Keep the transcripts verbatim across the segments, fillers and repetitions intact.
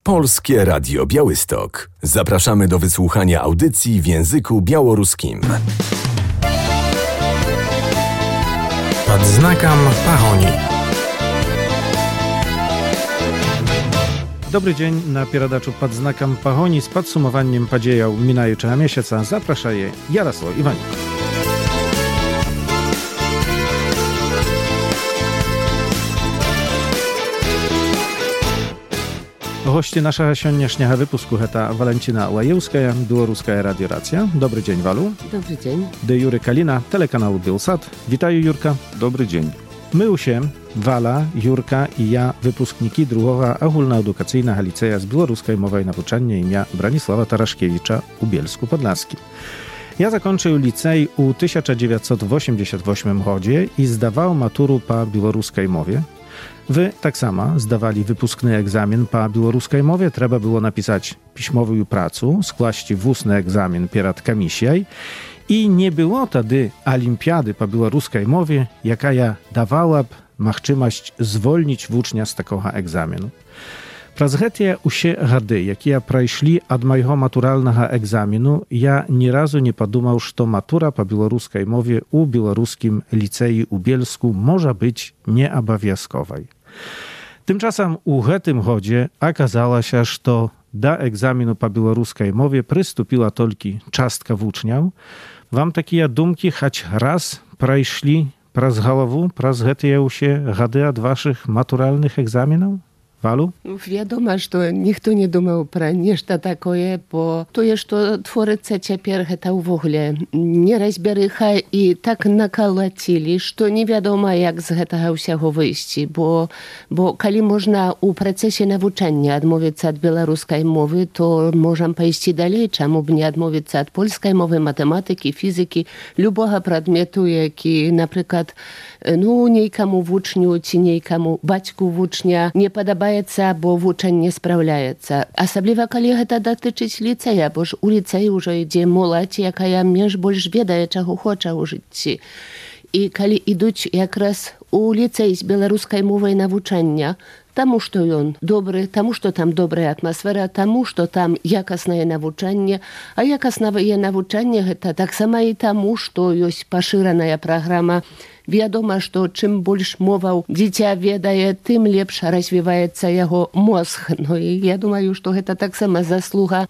Polskie Radio Białystok. Zapraszamy do wysłuchania audycji w języku białoruskim. Pod znakом Pahoni. Dobry dzień na pieradaczu pod znakiem Pahoni z podsumowaniem podziejał minającego miesiąca. Zaprasza je Jarosław Iwanik. Goście naszego dzisiejszego wypusku to Walentina Łajewska, Białoruska Radio Racja. Dobry dzień, Walu. Dobry dzień. De Jury Kalina, telekanału Bielsat. Witaję, Jurka. Dobry dzień. My się, Wala, Jurka i ja, wypускniki drugiego ogólnoedukacyjnego liceja z białoruskiej mowy nauczania imienia Branisława Taraszkiewicza u Bielsku Podlaskim. Ja zakończył licej u tysiąc dziewięćset osiemdziesiątym ósmym roku i zdawał maturu po białoruskiej mowie. Wy tak samo zdawali wypuskny egzamin po białoruskiej mowie. Trzeba było napisać piśmową pracę, skłaść wustny egzamin przed komisją i nie było wtedy olimpiady po białoruskiej mowie, jaka ja dawałaby możliwość zwolnić ucznia z takiego egzaminu. Przez te usie gady, jakie przeszli od mojego maturalnego egzaminu, ja ni razu nie podumał, że matura po białoruskiej mowie u białoruskim licei u Bielsku może być nieobowiązkowej. Tymczasem u tym chodzie okazało się, że do egzaminu po białoruskiej mowie przystąpiła tylko czastka uczniów. Wam takie dumki choć raz przeszli przez głowę, przez te usie gady od waszych maturalnych egzaminów? Walu? Wiadomo, że nikt nie думał про нечто такое, bo to jest, to tworzyce teraz to w ogóle nierazbierycha i tak nakalacili, że nie wiadomo, jak z tego всего wyjść, bo, bo kiedy można u procesie nauczania odmówić od białoruskiej mowy, to możemy pójść dalej, czemu by nie odmówić od polskiej mowy, matematyki, fizyki, любого przedmiotu, jaki na przykład no, niejkomu w uczniu, czy niejkomu baćku w ucznia nie podoba, bo uczeń nie sprawляje. Особливо, коли це дотичить ліцея, бо ж у ліцеї вже йде молодь, яка менш більш ведає, чого хоче у житті. І коли йдуть якраз у ліцей з білоруської мови навчання, тому що він добрий, тому що там добра атмосфера, тому що там якісне навчання, а якісне навчання це так само і тому, що є поширена програма. Wiadomo, że czym больше mową dziecię wiedzie, tym lepsze rozwija się jego mózg. No i ja думаю, że to tak samo zasługa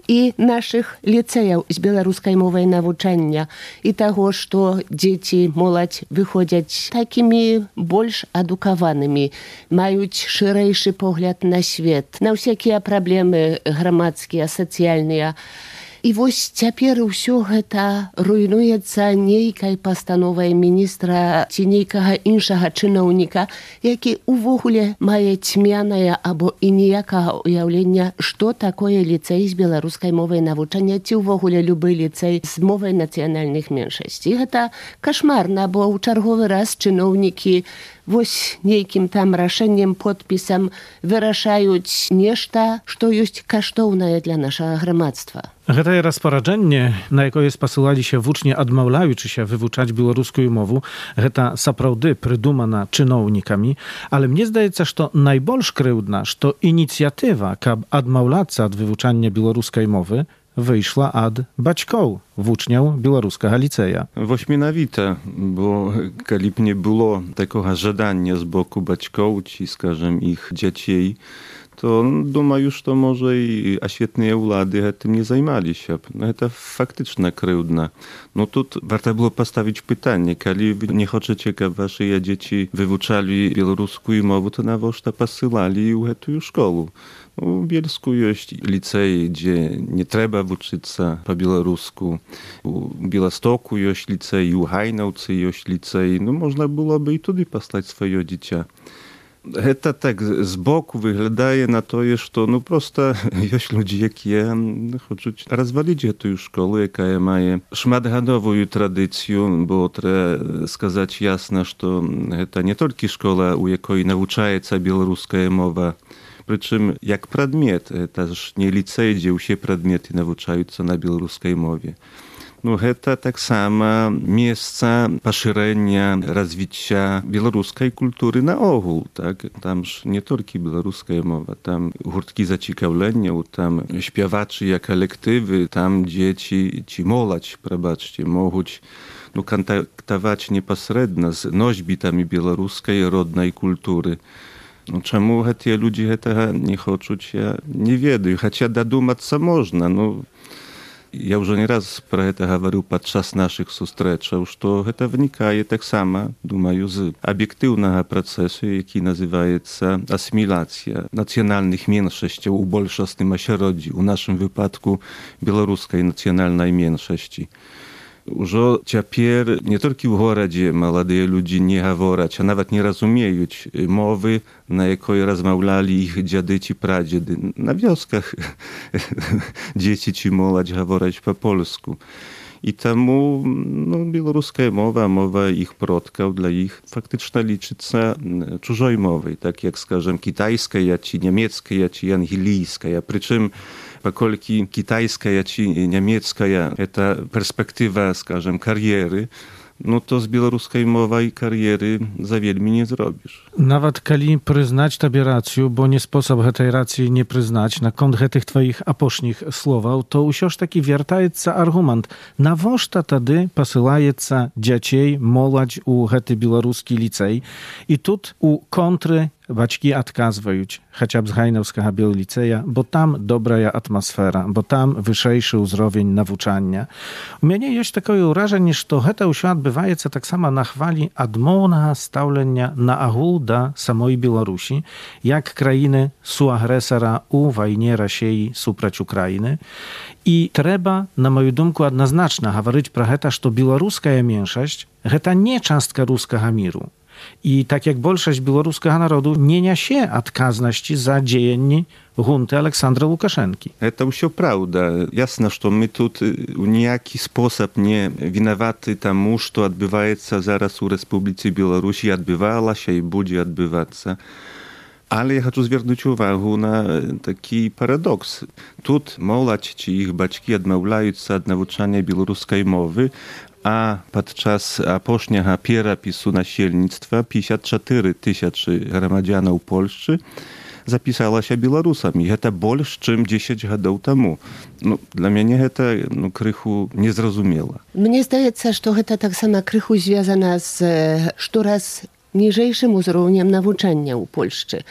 i naszych licejów z białoruskiej mowy nauczania i tego, że dzieci, młodzież wychodzą takimi больше edukowanymi, mają szerszy pogląd na świat, na wszelkie problemy gromadkie, socjalne. I właśnie teraz wszystko to rujnuje się niejkaj postanową ministra czy niejkiego innego czynownika, jaki w ogóle ma ćmiane albo i niejakiego ujawlenia, co takoje licej z białoruskiej mowy nauczania, czy w ogóle luby licej z mowy nacjonalnych mniejszości. To koszmarne, bo czerwowy raz czynowniki właśnie niejakim tam raszeniem, podpisem wyrażają nieszta, co jest kosztowne dla naszego gromadztwa. To rozporządzenie, na jakie jest posyłali się ucznie odmawiaючи się wywuczać białoruską mowę, to naprawdę prydumana czynownikami, ale mnie zdaje się, że to najbardziej kryłdna, że to inicjatywa, kab odmawiać od wywuczania białoruskiej mowy, wyszła od baćków uczniów białoruskiego liceja. Wośminowite, bo kiedy nie było takiego żądania z boku baćków, czy skażem ich dzieci, to думаю, że może i oświetne władze tym nie zajmowali się. No to faktycznie kryłdne. No tu warto było postawić pytanie, kiedy wy nie chcecie, aby wasze dzieci wywuczali białoruską mowę, to nawoż posyłali w tę szkołę. W Bielsku jest licej, gdzie nie trzeba uczyć się po białorusku. W Białegostoku jest licej, w Hajnowcu jest licej. No można byłoby i tudy posłać swoje dziecię. To tak z boku wyglądaje na to, że no prosto jest ludzie, jakie chcą rozwalić tę szkołę, jaka ma szmatgadową tradycję, bo trzeba сказать jasno, że to nie tylko szkoła, u jakiej nauczaje się białoruska mowa, przy czym jak przedmiot, to też nie licej, gdzie wszystkie przedmioty nauczają się na białoruskiej mowie. No гэта таксама месца пашырэння развіцця беларускай культуры наогул, так? Там ж не толькі беларуская мова, там гурткі зацікаўленняў, там śpiewaczыя калектывы, там дзеці ці моладзь, прабачце, могуць ну, кантактаваць непасрэдна з носьбітамі беларускай роднай культуры. Ну, чаму гэтыя людзі гэтага не хочуць, я не ведаю, хаця дадумацца можна, ну я ўжо не раз пра гэта гаварыў падчас нашых сустрэчаў, што гэта вынікае таксама, думаю, з аб'ектыўнага працэсу, які называецца асіміляцыя нацыянальных меншасцяў у большасным асяроддзі, у нашым выпадку беларускай нацыянальнай меншасці. Ужо цяпер не толькі ў горадзе маладыя людзі не гавораць, а нават не разумеюць мовы, на якой размаўлялі іх дзяды ці прадзеды. На вёсках дзеці ці моладзь гавораць па-польску. І таму ну, беларуская мова, мова іх продкаў для іх фактычна лічыцца чужой мовай, так як, скажем, кітайская ці нямецкая ці ангелійская. Прычым паколькі кітайская ці нямецкая это перспектыва, скажем, кар'еры, ну то з беларускай мовай кар'еры за вельмі не зробіш. Нават калі прызнаць табе рацыю, бо не спосаб гэтай рацыі не прызнаць наконт гэтых тваіх апошніх словаў, то ўсё ж такі вяртаецца аргумент. Навошта тады пасылаецца дзяцей, моладзь у гэты беларускі ліцэй? І тут у контры бацькі адказваюць, хаця б з гайнаўскага біоліцэя, бо там добрая атмасфера, бо там вышэйшы ўзровень навучання. У мяне ёсць такое ўражанне, што гэта ўсё адбываецца таксама на хвалі адмоўнага стаўлення на агул да самой Беларусі, як краіны суагрэсара ў вайне Расіі супраць Украіны. І трэба, на маю думку, адназначна гаварыць пра гэта, што беларуская меншасць гэта не частка рускага міру. І так як большасць беларускага народу не нясе адказнасці за дзеянні гунты Александра Лукашэнкі. Это ўсё праўда. Ясна, што мы тут у ніякі спосаб не вінаваты таму, што адбываецца зараз у Рэспубліцы Беларусь, адбывалася і будзе адбывацца. Але я хочу звярнуць увагу на такі парадокс. Тут моладзь ці іх бацькі адмаўляюцца ад навучання беларускай мовы, а падчас апошняга перапісу насельніцтва пятьдесят четыре тысячы грамадзянаў Польшчы запісалася беларусамі. Гэта больш, чым дзесяць гадоў таму. Ну, для мяне гэта ну, крыху незразумела. Мне здаецца, што гэта таксама крыху звязана з штораз ніжэйшым узроўнем навучання ў Польшчы.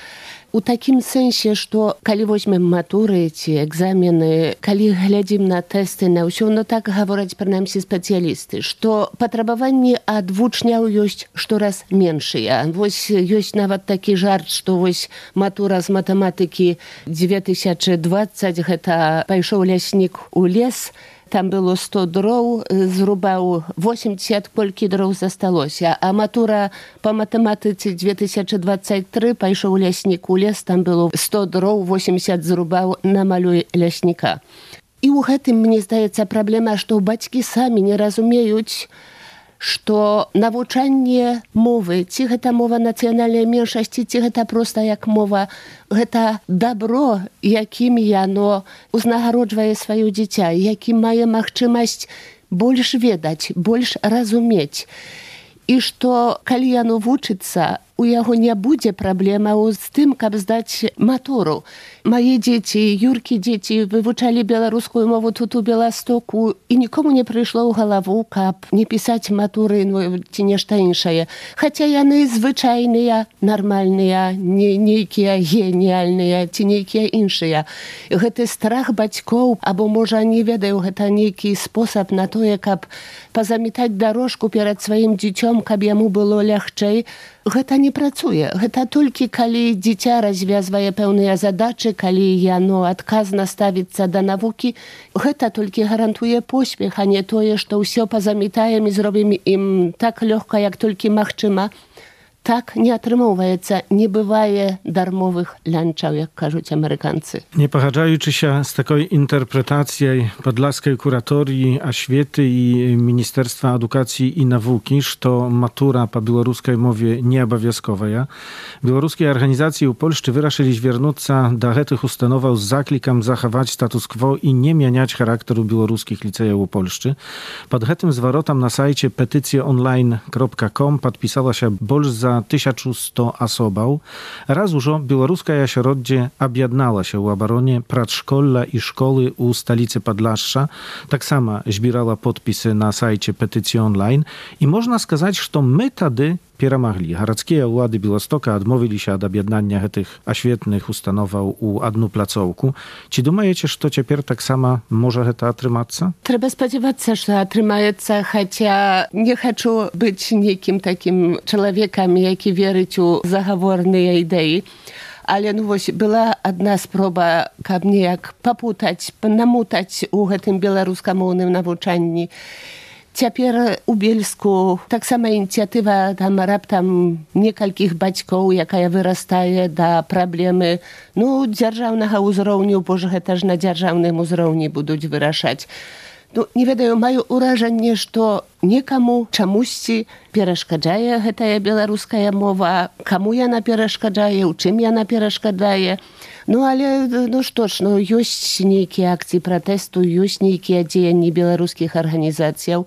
У такім сэнсе, што калі возьмем матуры ці экзамены, калі глядзім на тэсты, на ўсё, ну так гавораць прынамсі спецыялісты, што патрабаванні ад вучняў ёсць штораз меншыя. Вось ёсць нават такі жарт, што вось матура з матэматыкі две тысячы двадцаць, гэта пайшоў ляснік у лес, там было сто дроў, зрубаў восемьдесят, колькі дроў засталося. А матура па матэматыцы две тысячы двадцать три пайшоў ляснік у лес, там было сто дроў, восемьдесят зрубаў на малюй лясніка. І ў гэтым, мне здаецца, праблема, што бацькі самі не разумеюць, што навучанне мовы, ці гэта мова нацыянальнай меншасці, ці гэта проста як мова, гэта дабро, якім яно узнагароджвае сваё дзіця, якім мае магчымасць больш ведаць, больш разумець. І што, калі яно вучыцца, у яго не будзе праблемаў з тым, каб здаць матуру. Мае дзеці, Юркі дзеці вывучалі беларускую мову тут у Беластоку, і нікому не прыйшло ў галаву, каб не пісаць матуры ну, ці нешта іншае. Хаця яны звычайныя, нармальныя, не нейкія геніяльныя ці нейкія іншыя. Гэты страх бацькоў, або, можа, не ведаю, гэта нейкі спосаб на тое, каб пазамітаць дарожку перад сваім дзіцём, каб яму было лягчэй, гэта не працуе. Гэта толькі калі дзіця развязвае пэўныя задачы, калі яно адказна ставіцца да навукі, гэта толькі гарантуе поспех, а не тое, што ўсё пазамітаем і зробім ім так лёгка, як толькі магчыма. так не атрымоўваецца, не бывае дармовых лянчаў, як кажуць амерыканцы. Не пагаджаючы się z takiej interpretacji podlaskiej kuratorii oświaty i Ministerstwa Edukacji i Nauki, że matura po białoruskiej mowie nie obowiązkowa. Białoruskie organizacje u Polszczy wyraszyli zwiernuć do tych ustanował z zaklikiem zachować status quo i nie mieniać charakteru białoruskich licejów u Polszczy. Pod tym zwrotem na sajcie petycje online kropka com podpisała się больше za tysiąc sto osobów. Raz już białoruska ośroddzie objednała się u obronie przedszkola i szkoły u stolicy Podlasza. Tak sama zbierała podpisy na sajcie petycji online i można сказать, że my wtedy перамаглі. Гарадскія ўлады Беластока адмовіліся ад аб'яднання гэтых асветных установаў у адну плацоўку. Ці думаеце, што цяпер таксама можа гэта атрымацца? Трэба спадзявацца, што атрымаецца, хаця не хачу быць нейкім такім чалавекам, які верыць у загаворныя ідэі. Але ну вось была адна спроба, каб неяк папутаць, намутаць у гэтым беларускамоўным навучанні. Цяпер у Бельску таксама ініцыятыва там раптам некалькіх бацькоў, якая вырастае да праблемы ну, дзяржаўнага ўзроўню, бо ж гэта ж на дзяржаўным узроўні будуць вырашаць. Ну, не ведаю, маю ўражанне, што некаму чамусьці перашкаджае гэтая беларуская мова, каму яна перашкаджае, у чым яна перашкаджае. Ну, але, ну што ж, ну, ёсць нейкія акцыі пратэсту, ёсць нейкія дзеянні беларускіх арганізацыяў.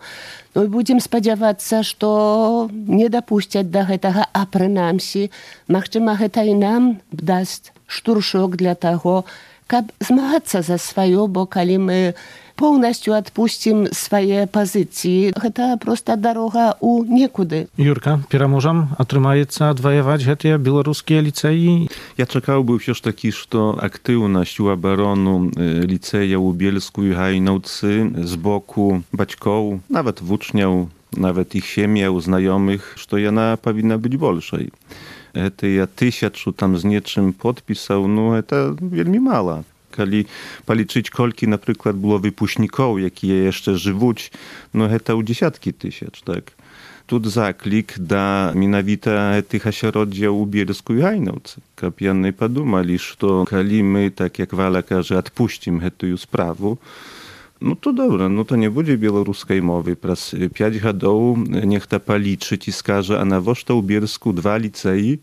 Ну, і будзем спадзявацца, што не дапусцяць да гэтага, а прынамсі, магчыма, гэта і нам дасць штуршок для таго, каб змагацца за сваё, бо калі мы поўнасцю адпусцім свае пазіцыі, гэта проста дарога ў некуды. Юрка, пераможам атрымаецца адваяваць гэтыя беларускія ліцэі? Ja czekałbym все ж таки, что активность у оборону лицея у Bielsku i Hajnowcy z boku baćków, nawet włóczniał, nawet ich siemiał, znajomych, że ona powinna być bolszej. Это я тысячу там з нечым подпісаў, ну, это вельмі мала. Калі палічыць, колькі, напрыклад, было выпускнікоў, якія яшчэ жывуць, ну, гэта ў дзесяткі тысяч, так. Тут заклік да менавіта гэтых асяроддзяў у Bielsku i Hajnowcy, каб яны падумалі, што калі мы, так як Валя кажа, адпусцім гэтую справу, ну то добра, ну то не будзе беларускай мовы. Праз пяць гадоў нехта палічыць і скажа, а навошта ў Bielsku два ліцэі,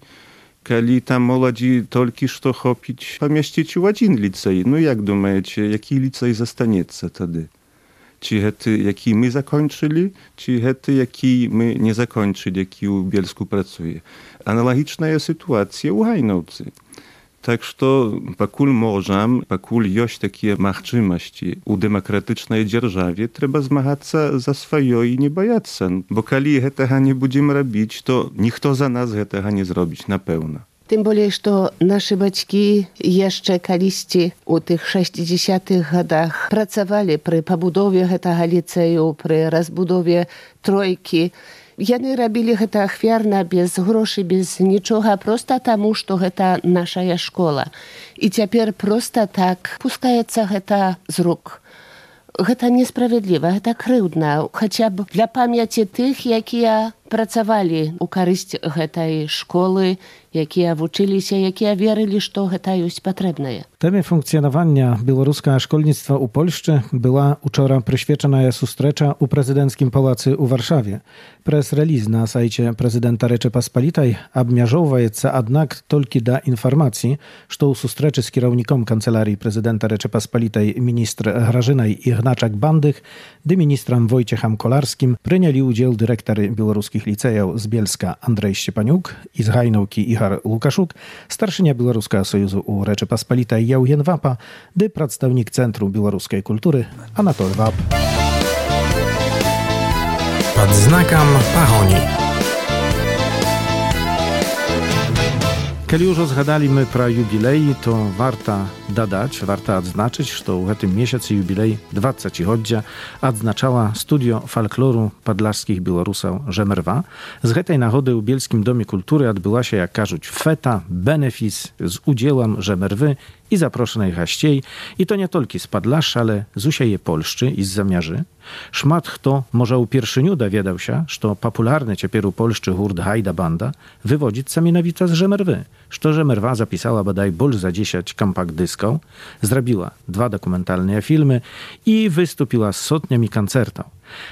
калі там моладзі толькі што хопіць памясціць у адзін ліцэй. Ну як думаеце, які ліцэй застанецца тады? Ці гэты, які мы закончылі, ці гэты, які мы не закончылі, які ў Bielsku працуе? Аналагічная сітуацыя ў Hajnowcy. Так што пакуль можам, пакуль ёсць такія магчымасці у дэмакратычнай дзяржаве, трэба змагацца за сваё і не баяцца. Бо калі гэтага не будзем рабіць, то ніхто за нас гэтага не зробіць, напэўна. Тым болей, што нашы бацькі яшчэ калісьці ў тых шэсцідзесятых гадах працавалі пры пабудове гэтага ліцэю, пры разбудове тройкі. Яны рабілі гэта ахвярна, без грошай, без нічога, проста таму, што гэта нашая школа. І цяпер проста так пускаецца гэта з рук. Гэта несправядліва, гэта крыўдна, хаця б для памяці тых, якія працавалі ў карысць гэтай школы, якія вучыліся, якія верылі, што гэта ёсць патрэбнае. Темie funkcjonowania białoruskiego szkolnictwa u Polszczy była wczoraj przyświecona sustrecza u prezydenckim pałacy u Warszawie. Press release na sajcie prezydenta Rzeczypospolitej obmierzowaється jednak tylko do informacji, że u sustreczy z kierownikom kancelarii prezydenta Rzeczypospolitej ministr Grażynej Ignaczak-Bandych, dy ministrem Wojciechem Kolarskim przyjęli udział dyrektory białoruskich licejów z Bielska Andrzej Szczepaniuk i z Hajnowki Ichar Łukaszuk, starszynia Białoruskiego Sojuzu u Rzeczypospolitej Jałjen Wapa, dy przedstawnik Centrum Białoruskiej Kultury Anatol Wap. Pod znakiem Pahoni. Kiedy już zgadaliśmy pro jubilei, to warto dodać, warto odznaczyć, że w tym miesiącu jubilej dwudziestoletnia odznaczała Studio Folkloru Podlaskich Białorusów Żemerwa. Z tej nagody w Bielskim Domie Kultury odbyła się, jak każуть, feta, benefis z udziałem Żemerwy i zaproszonej haściej, i to nie tylko z Podlasza, ale z usieje Polszczy i z Zamierzy. Szmat kto może u pierwszyniu dowiedział się, że popularny ciepier u Polszczy hurt Hajda Banda wywodzi mianowicie z Żemerwy, że Żemerwa zapisała bodaj ból za dziesięć kompakt dysków, zrobiła dwa dokumentalne filmy i wystąpiła z sotniami koncertów.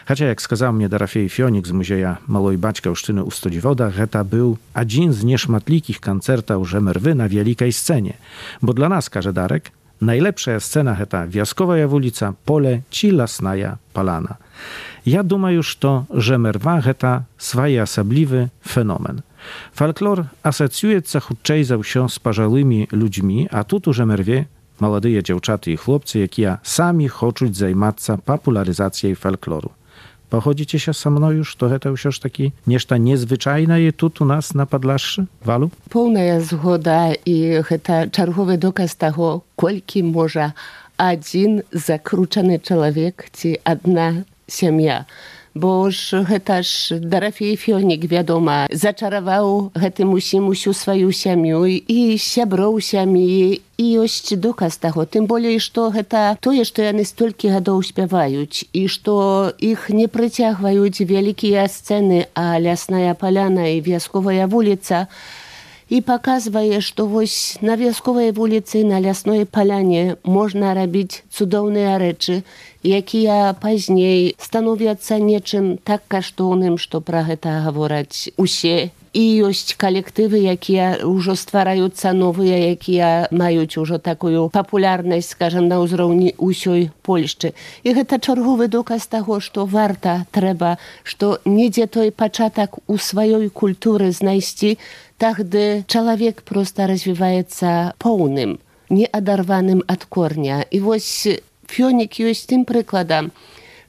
Chociaż jak skazał mnie Dorafej Fionik z Muzeja Małej Baćkowszczyny u Stodziwodach, to był jeden z nieszmatlikich koncertów Żemerwy na wielkiej scenie, bo dla nas, każe Darek, najlepsza scena heta Wioskowa ulica, pole ci lasnaja palana. Ja dumam już to, Żemerwa heta swój osobliwy fenomen. Folklor asocjuje się chudczej za się z parzałymi ludźmi, a tu u Żemerwie młodyje dziewczaty i chłopcy, jakie sami chcą zajmować się popularyzacją folkloru. Pochodzicie się ze mną już, to to już taki nieszta niezwyczajne je tu u nas na Podlaszu, Walu? Pełna zgoda i to czerwowy dokaz tego, kolki może один zakruczony człowiek czy jedna семья. Bo już też Dorafej Fionik, wiadomo, zaczarował tym усім усю свою семью и сяброў семьи, и есть доказ того. Тем более, что это то, что они столько годов śpiewaють, и что их не притягивают великие сцены, а Лясная Поляна и Вьосковая улица. I pokazuje, że właśnie na Wioskowej ulicy, na Лясной Поляnie można robić cudowne rzeczy, jakie później stanowią się niczym tak kosztownym, że про to mówić usie. I jest kolektywy, jakie już stwarają się nowe, jakie mają już taką popularność, скажем, na uzrówni usiej Polszczy. I to czerwowy dokaz tego, że warto, trzeba, że niedzie to początek u swojej kultury znajść, tak gdy człowiek prosto rozwija się pełnym, nieoderwanym od kornia. I właśnie Fionik jest tym przykładem,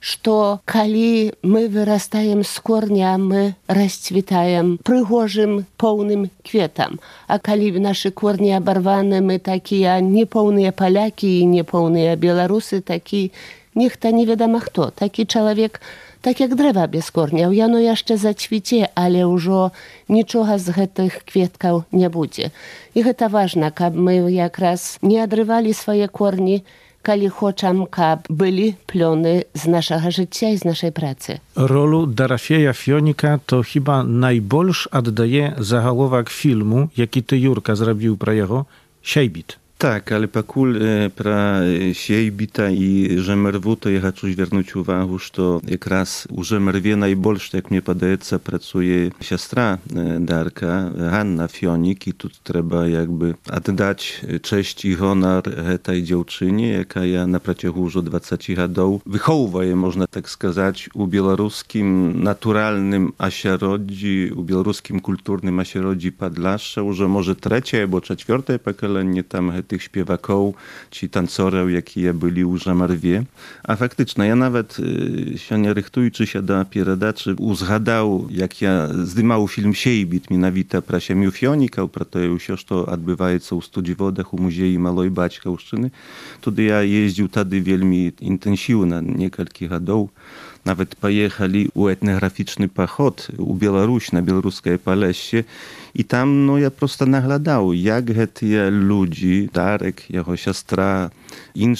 что коли мы вырастаем с корня, мы расцветаем прыгожим, полным кветом. А коли наши корни оборваны, мы такие неполные поляки и неполные белорусы, такие, ніхто не wiadomo kto. Taki człowiek, tak jak drzewa bez kornia. Jano jeszcze zaćwicie, ale już niczego z tych kwietków nie będzie. I to ważne, aby my jak raz nie odrywali swoje korni, kali chcemy, aby byli plony z naszego życia i z naszej pracy. Rolu Dorafeja Fionika to chyba najbolsz oddaje zagałowak filmu, jaki ty, Jurka, zrobił pro jego Siejbit. Tak, ale pakul e, pra Siejbita i Żemerwu, to ja chcę zwrócić uwagę, że jak raz u Żemerwie najbolsze, jak mnie podaje, pracuje siostra e, Darka, Hanna Fionik, i tu trzeba jakby oddać cześć i honor tej dziewczynie, jaka ja na przeciągu już dwudziestu lat wychowuje, można tak сказать, u białoruskim naturalnym ośrodzi, u białoruskim kulturnym ośrodzi Podlasza, już może trzecie albo czwarte pokolenie tam tych śpiewaków czy tancorów, jakie byli u Żemerwie. A faktycznie, ja nawet się nie rychtując się do pieradaczy, uzgadał, jak ja zdymał film Siejbit, mianowicie pro siemiu Fionika, pro to już to odbywa się u Stodziwodach, u Muzeju Małej Baćkowszczyny. Tudy ja jeździł wtedy wielmi intensywnie, kilka lat. Nawet pojechali u etnograficzny pochód u Białoruś, na białoruskie Polesie. I tam no, ja prosto nagladał, jak te ludzi, Darek, jego siostra, inni,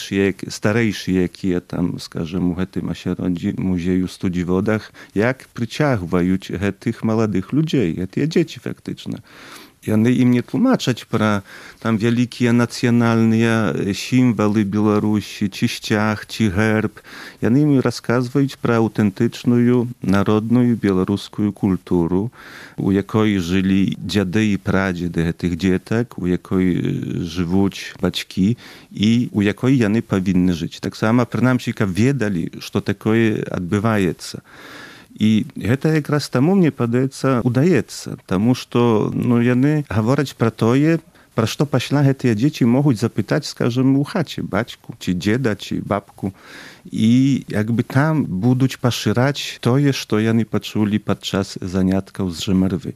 starejsi, jakie tam, скажем, u tym ośrodzi, Muzeju w Stodziwodach, jak przyciągają tych młodych ludzi, te dzieci faktyczne. I one im nie tłumaczą про tam wielkie nacjonalne symbole Białorusi, czy ściach, czy herb. I one im rozkazują про autentyczną, narodną białoruską kulturę, u jakiej żyli dziady i pradziedy tych dzietek, u jakiej żyją baćki i u jakiej one powinny żyć. Tak samo, przynajmniej, wiedzieli, że takie odbywa się. I to jak raz temu mnie podaється, udaється, тому що ну, вони говорять про те, про що після ті діти можуть запитати, скажімо, у хаті батьку, чи діда, чи бабку. І якби там будуть поширати те, що вони почули під час занятків з Żemerwy.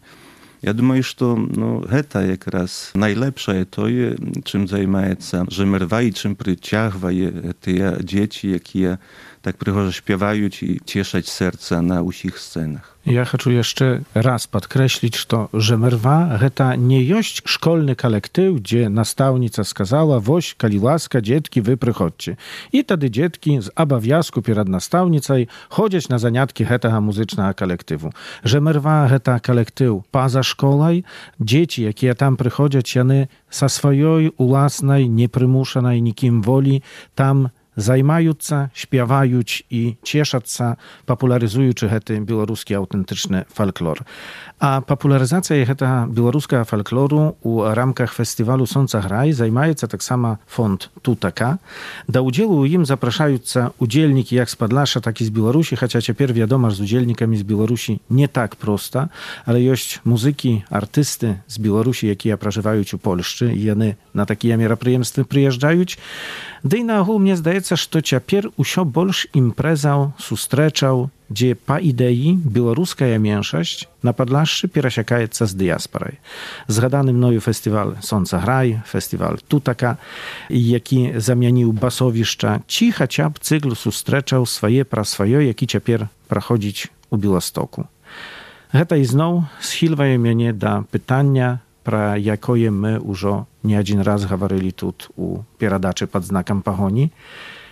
Я думаю, что ну, это якраз найлепшае тое, чым займаецца Жэмерва і чым прыцягвае тыя дзеці, якія так прыгожа śpiewaють і cieszać serca na ўсіх сценах. Ja chcę jeszcze raz podkreślić, że Żemerwa to nie jest szkolny kolektyw, gdzie nastawnica skazała, woś, kali łaska, dzietki, wy przychodźcie. I wtedy dzietki z obowiązku przed nastawnicą chodzić na zaniatki tego muzycznego kolektywu. Żemerwa to kolektyw poza szkolą, dzieci, jakie tam przychodzą, one sa swojej własnej, nieprzymuszonej nikim woli tam zajmająca, śpiewaють i ciesząca, popularyzując hety białoruski autentyczny folklor. A popularyzacja heta białoruskiego folkloru u ramkach festiwalu Sonca Graj zajmuje tak samo fond Tutaka. Do udziału im zapraszają udzielniki jak z Podlasza, tak i z Białorusi, chociaż teraz wiadomo, że z udzielnikami z Białorusi nie tak prosta, ale jest muzyki, artysty z Białorusi, jakie prażywają u Polszczy i one na takie мероприемства przyjeżdżają. Да i na ogół mnie zdaje się, że teraz usio больше imprezał, susтречał, gdzie po idei białoruska mniejszość na Podlaszu przesiakaється z diasporą. Zgadany mnoju festiwal Sonca Graj, festiwal Tutaka, jaki zamienił basowiszcza, ci chociaż cykl susтречał swoje pra swoje, jaki teraz prochodzić u Białostoku. Heta i znowu schilwaje mnie do pytania, про якое мы уже не один раз говорили тут у передачи под знаком погони,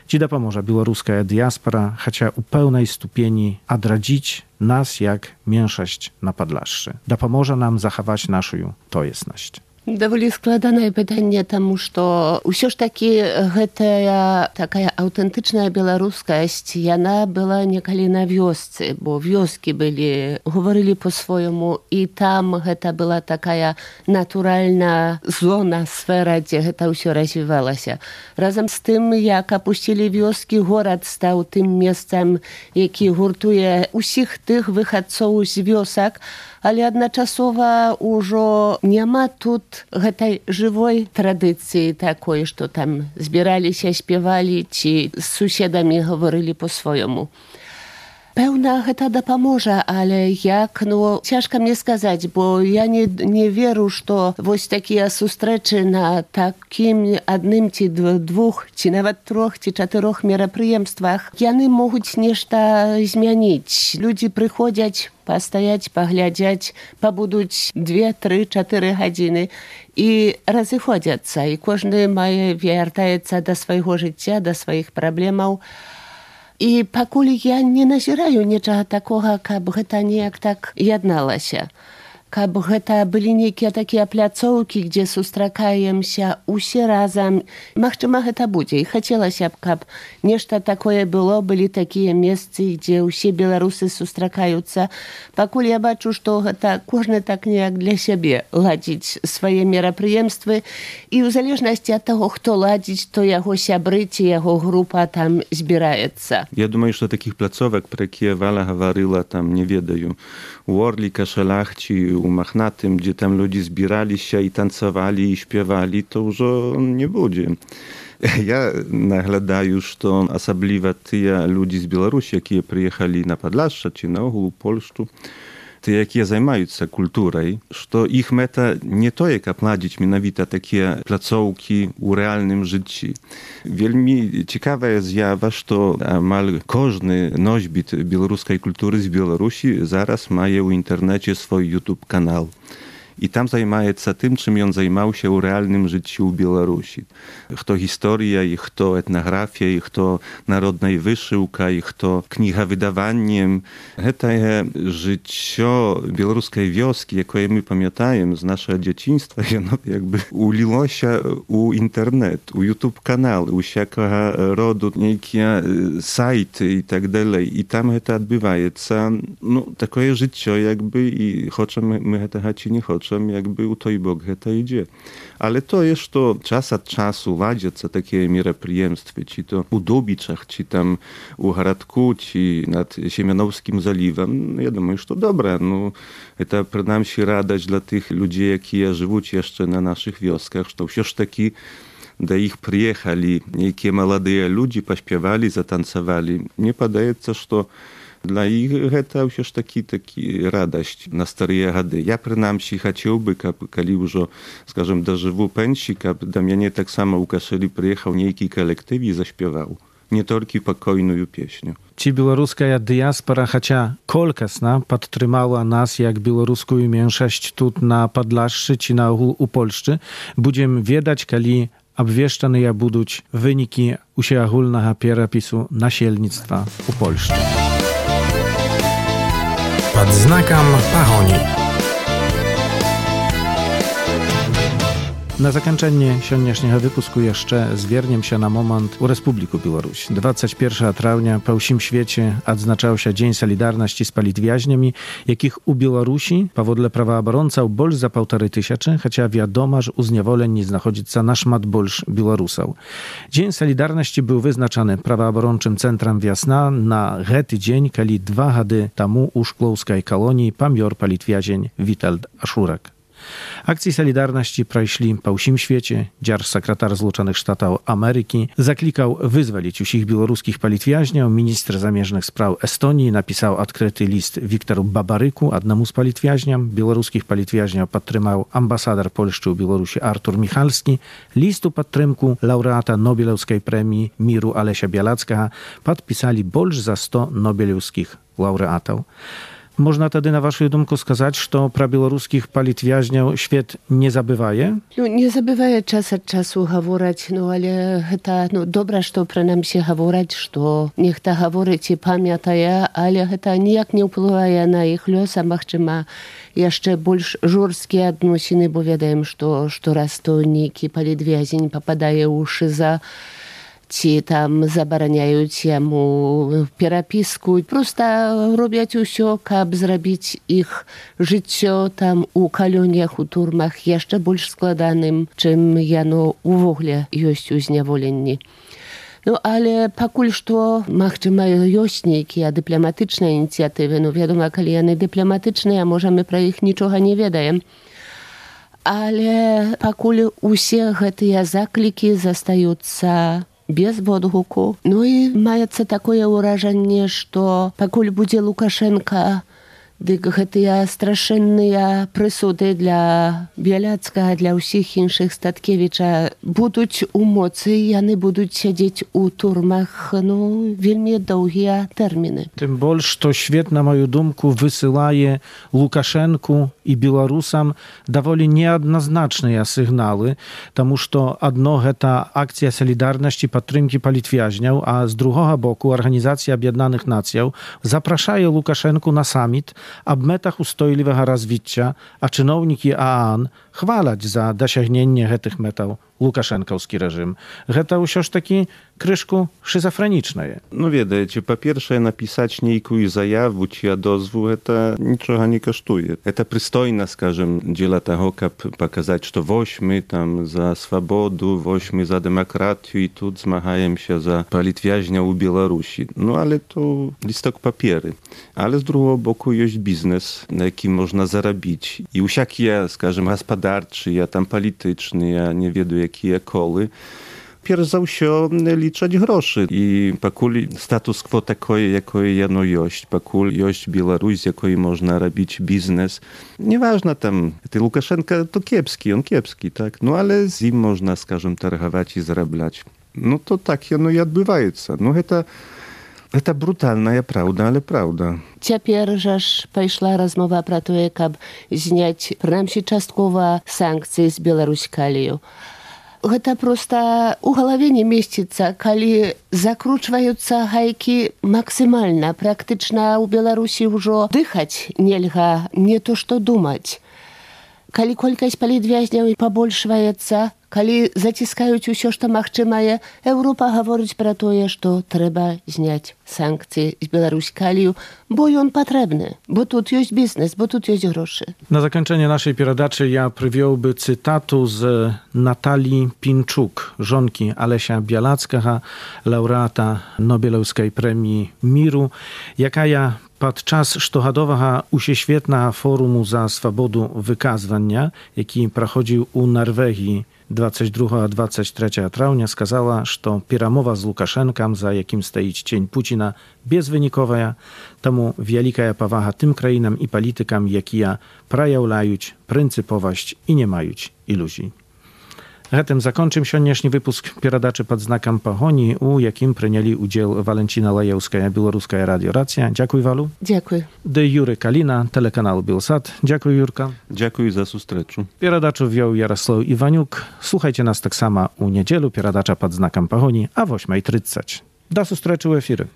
чи допоможе білоруська діаспора, хоча у певній ступені одраdzić нас як меншость на Podlaszu. Допоможе нам заховати нашу тоєсність. Даволі складанае пытанне, таму што ўсё ж такі гэтая такая аўтэнтычная беларускасць, яна была некалі на вёсцы, бо вёскі былі, гаварылі по-свойму, і там гэта была такая натуральная зона, сфера, дзе гэта ўсё развівалася. Разам з тым, як апусцілі вёскі, горад стаў тым месцам, які гуртуе ўсіх тых выхадцоў з вёсак, але адначасова ўжо няма тут гэтай жывой традыцыі такой, што там збіраліся, спявалі ці з суседамі гаварылі по-свойму. Пэўна, гэта дапаможа, але як, ну, цяжка мне сказаць, бо я не, не веру, што вось такія сустрэчы на такім адным ці двух, ці нават трох, ці чатырох мерапрыемствах, яны могуць нешта змяніць. Людзі прыходзяць пастаяць, паглядзяць, пабудуць две, тры, чатыры гадзіны і разыходзяцца, і кожны мае вяртаецца да свайго жыцця, да сваіх праблемаў. І пакуль я не назіраю нічага такога, каб гэта неяк так ядналася. Каб гэта былі нейкія такія пляцоўкі, дзе сустракаемся усе разам. Магчыма, гэта будзе. І хацелася б, каб нешта такое было, былі такія месцы, дзе ўсе беларусы сустракаюцца. Пакуль я бачу, што гэта кожны так неяк для сябе ладзіць свае мерапрыемствы. І ў залежнасці ад таго, хто ладзіць, то яго сябры ці яго група там збіраецца. Я думаю, што такіх пляцовак, пра якія Валя гаварыла, там не ведаю. У Орліка, Шалахці, у Махнатым, gdzie tam ludzie zbierali się i tancowali i śpiewali, to już nie będzie. Ja naglądаю, że особливо ті люди з Білорусі, які приїхали на Podlasze czy na ogół u Polszczu, ті, які займаються культурою, що їх мета не то, як обладнати менавіта такі placówki у реальному житті. Вельми цікава з'ява, що амаль кожний носьбіт білоруської культури з Білорусі зараз має у інтернеті свій YouTube канал. I tam zajmuje się tym, czym on zajmował się w realnym życiu w Białorusi. Kto historia, i kto etnografia, i kto narodna wyszyłka, i kto kniha wydawaniem. To jest życie białoruskiej wioski, jakie my pamiętajemy z naszego dzieciństwa, ono jakby uliło się u internet, u YouTube kanał, u wszelkiego rodu niekie sajty i tak dalej. I tam to odbywa się, no, takie życie jakby i chcemy my tego czy nie chcemy. Jakby u той бок гэта ідзе. Але тое, што час ад часу ладзяцца такія мерапрыемствы, ці то у Дубічах, ці там у гарадку, ці над Семеновскім залівам, я думаю, што добра. Ну, это прынамсі радасць для тых людзей, якія жывуць яшчэ на нашых вёсках, што ўсё ж такі да іх прыехалі нейкія маладыя людзі, паспявалі, затанцавалі. Мне падаецца, што Dla ich to już taki, taki radość na stare gady. Ja przynajmniej chciałby, kiedy już, скажем, dożywu pensji, aby do mnie tak samo Łukaszeli przyjechał niejki kolektyw i zaśpiewał. Nie tylko pokojną pieśnię. Ci białoruska diaspora, chociaż kolkasna, podtrzymała nas jak białoruską mniejszość tu na Podlaszczy czy na u Polszczy. Będziemy wiedzieć, kiedy obwieszczane ja będą wyniki ogólnego przerapisu nasielnictwa u Polszczy. Pod znakiem Pahoni. Na zakończenie dzisiejszego wypusku jeszcze zwierniemy się na moment u Republiku Białoruś. dwudziestego pierwszego trawnia po всім świecie odznaczał się Dzień Solidarności z politwiaźniami, jakich u Białorusi, powodle prawoobrońców, больше za półtorej tysiąca, chociaż wiadomo, że u zniewoleni znajduje się na szmat больше Białorusów. Dzień Solidarności był wyznaczany prawoobrończym Centrum Wiosna na ten dzień, kiedy dwa lata temu u szklowskiej kolonii pomiar politwiazień Witold Aszurak. Akcji Solidarności przeszli po всім świecie. Dzierż sekretarz Zjednoczonych Stanów Ameryki zaklikał wyzwolić wszystkich białoruskich politwiaźniów. Minister zamierzchnych spraw Estonii napisał odkryty list Wiktoru Babaryku, jednemu z politwiaźniom. Białoruskich politwiaźniów podtrzymał ambasador Polski u Białorusi Artur Michalski. Listu podtrzymku laureata Nobelowskiej Premii Miru Alesia Białackiego podpisali больше za sto nobelowskich laureatów. Można tedy na waszą dumku skazać, że pra białoruskich politwiaźniów świat nie zabywaje? No, nie zabywaje czas od czasu mówić, no ale to no, dobre, że przynajmniej się mówić, że niech ta mówić i pamiętaje, ale to nijak nie wpływa na ich los, a może jeszcze больше żurskie odnosiny, bo wiadomo, że, że raz to niki politwiaźń popadaje uszy za ci tam zabraniają mu переписку. Просто robią все, aby zrobić ich życie tam u koloniach, u turmach jeszcze больше składanym, czym jano w ogóle jest uzniewoleni. No ale покуль что, może mają jośniki, a dyplomatyczne inicjatywy, no wiadomo, kiedy one dyplomatyczne, a możemy про ich niczego nie wiedzieć. Ale покуль все te zakliki zostają без odgłuku. No i маецца такое ўражанне, што пакуль будзе Лукашенко, дык гэтыя страшэнныя прысуды для Бяляцкага, для ўсіх іншых Статкевіча будуць у моцы, яны будуць сядзець у турмах, ну, вельмі доўгія тэрміны. Tym больше, to świat, na moją dumku, wysyłaje Łukaszenku i Białorusam dowoli niejednoznaczne sygnały, тому что одно это akcja Solidarności podtrzymki politwiaźniów, a z drugiego boku Organizacja Objednanych Nacjów zapraszają Łukaszenku na summit, a w metach ustojliwego rozwicia, a czynowniki A A N chwalać za dosięgnięcie tych metał Łukaszenkowski reżim. To już taki kryszku schizofreniczne. No wiecie, po pierwsze napisać niejką zajawę czy odezwu, to niczego nie kosztuje. To przystojne, скажем, dzieła tego, aby pokazać, że wośmy tam za swobodę, wośmy za demokrację i tu zmagają się za politwiaźnia u Białorusi. No ale to listok papiery. Ale z drugiego boku jest biznes, na jakim można zarobić. I wszelkie, скажем, gospodarczy, ja tam polityczny, ja nie wiem jakie koły, Pierw za все liczyć groszy. I покуль status quo takoje, jakoje jano jest, покуль jest Białoruś, jakoje można robić biznes. Nieważne tam, ty Łukaszenka to kiepski, on kiepski, tak? No ale z nim można, скажем, targować i zarabiać. No to tak jano i odbywaється. No to To brutalna prawda, ale prawda. Цяпер жа ж пайшла размова пра тое, каб зняць прынамсі часткова санкцыі з Беларускалію. Гэта проста ў галаве не месціцца, калі закручваюцца гайкі максімальна. Практычна ў Беларусі ўжо дыхаць нельга, не то што думаць. Калі колькасць палітвязняў пабольшваецца, калі заціскаюць усё, што магчымае, Еўропа гаворыць пра тое, што трэба зняць санкцыі з Беларускалію, bo on potrzebny, bo tu jest biznes, bo tu jest groszy. Na zakończenie naszej передачи ja przywiąłby cytatu z Natalii Pinczuk, żonki Alesia Białackiego, laureata Nobelowskiej Premii Miru, jaka ja podczas sztochadowego uświetna forumu za swobodę wykazywania, jaki prochodził u Norwegii двадцять другого двадцять третьего траўня сказала, што перамова з Лукашэнкам, за якім стаіць цень Пуціна, безвыніковая, таму вялікая павага тым краінам і палітыкам, якія праяўляюць прынцыповасць і не маюць ілюзій. Гэтым закончым сённяшні выпуск перадачы пад знакам пагоні, у якім прынялі ўдзел Валенціна Лаеўская, Беларуская радыёрацыя. Дзякуй, Валу. Дзякуй. Ды Юры Каліна, тэлеканал Белсат. Дзякуй, Юрка. Дзякуй за сустрэчу. Перадачу вёў Ярослаў Іванюк. Слухайце нас таксама ў нядзелу, перадача пад знакам пагоні, а восьмej трыццаць. Да сустрэчы ў эфіры.